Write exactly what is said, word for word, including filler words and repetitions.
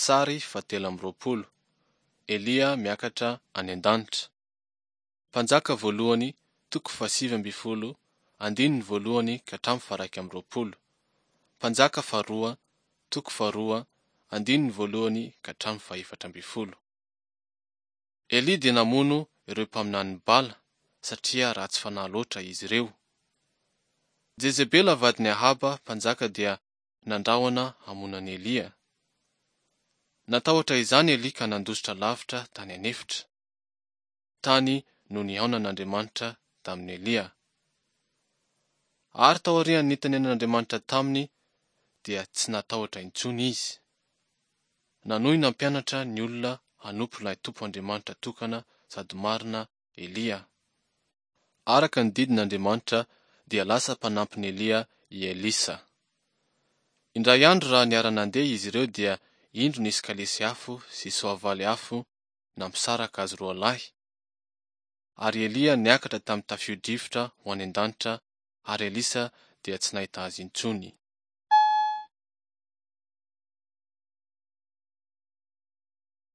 Sary fahatelo amby roapolo. Elia miakatra any an-danitra. Mpanjaka voalohany, toko fahasivy ambin'ny folo, andininy voalohany ka hatramin'ny faharaika amby roapolo. Mpanjaka faharoa, toko faharoa, andininy voalohany ka hatramin'ny fahefatra ambin'ny folo. Elia dia namono ireo mpaminanin'i Bala, satria ratsy fanahy loatra izy ireo. Jezebela vadin'i Ahaba mpanjaka dia nandrahona hamono an'i Elia. Natahotra izany Elia ka nandositra lavitra tany an'efitra. Tany no nihaonan'Andriamanitra tamin'i Elia. Ary taorian'ny nitenenan'Andriamanitra taminy dia tsy natahotra intsony izy. Nanohy nampianatra ny olona hanompo ilay Tompo Andriamanitra tokana sady marina Elia. Araka ny didin'Andriamanitra dia lasa mpanampin'i Elia i Elisa. Indray andro raha niara-nandeha izy ireo dia indro nisy kalesy afo sy soavaly afo nampisaraka azy roa lahy. Ary Elia niakatra tamin'ny tafio-drivotra ho any an-danitra ary Elisa dia tsy nahita azy intsony.